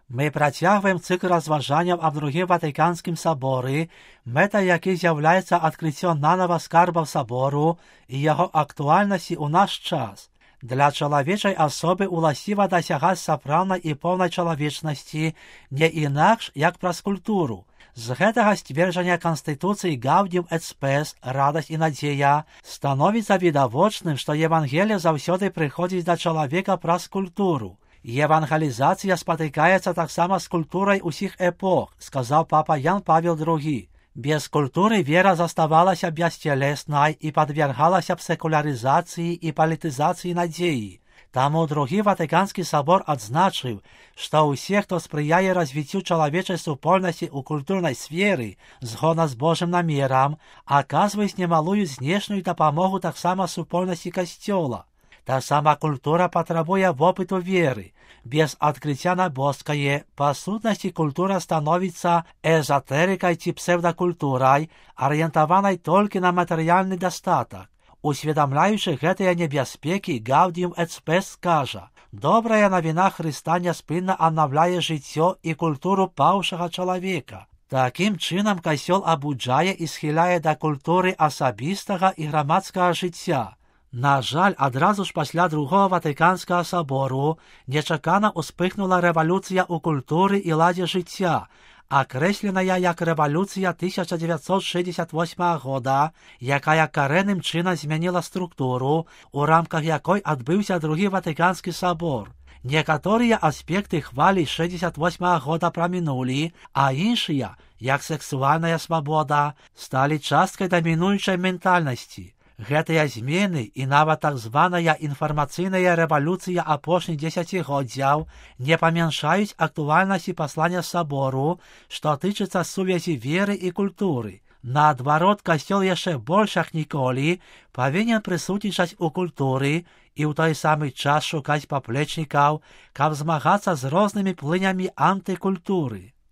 Ми працягваем цикл разважанняў аб другім Ватыканскім саборы, мэта якіх з'яўляецца адкрыццё нанава скарбаў сабору і яго актуальнасці ў наш час. Для чалавечай асобы ўласціва дасягаць сапраўднай і поўнай чалавечнасці не інакш, як праз культуру. З гэтага сцверджання Канстытуцыі Gaudium et Spes, радасць і надзея, становіцца відавочным, што Евангелие заўсёды прыходзіць да чалавека праз культуру. Евангелізацыя спатыкаецца таксама з культурай усіх эпох, сказаў папа Ян Павел II. Без культуры вера заставалася бясцелеснай і падвергалася б секулярызацыі і палітызацыі надзеі. Таму другі Ватыканскі сабор адзначыў, што ўсе, хто спрыяе развіццю чалавечай супольнасці ў культурнай сферы згодна з Божым намерам, аказваюць немалую знешнюю дапамогу таксама супольнасці касцёла. Таксама культура патрабуе вопыту веры. Без адкрыцця на боскае, па сутнасці культура становіцца эзотэрыкай ці псевдакультурай, арыентаванай толькі на матэрыяльны дастатак. Усведамляючы гэтыя небяспекі, Gaudium et Spes кажа: «Добрая навіна Хрыста няспынна аднаўляе жыццё і культуру паўшага чалавека». Такім чынам касцёл абуджае і схіляе да культуры асабістага і грамадскага жыцця. На жаль, адразу ж пасля другого Ватыканскага сабору нечакана ўспыхнула рэвалюцыя ў культуры і ладзе жыцця, акрэсленая як рэвалюцыя 1968 года, якая карэнным чынам змяніла структуру, у рамках якой адбыўся другі Ватыканскі сабор. Некаторыя аспекты хвалі 68 года прамінулі, а іншыя, як сексуальная свабода, сталі часткай дамінуючай ментальнасці. Гэтыя змены і нават так званая інфармацыйная рэвалюцыя апошніх дзесяцігоддзяў не памяншаюць актуальнасці паслання сабору, што тычыцца сувязі веры і культуры. Наадварот, касцёл яшчэ больш як ніколі павінен прысутнічаць у культуры і ў той самы час шукаць паплечнікаў, каб змагацца з рознымі плынямі антыкультуры.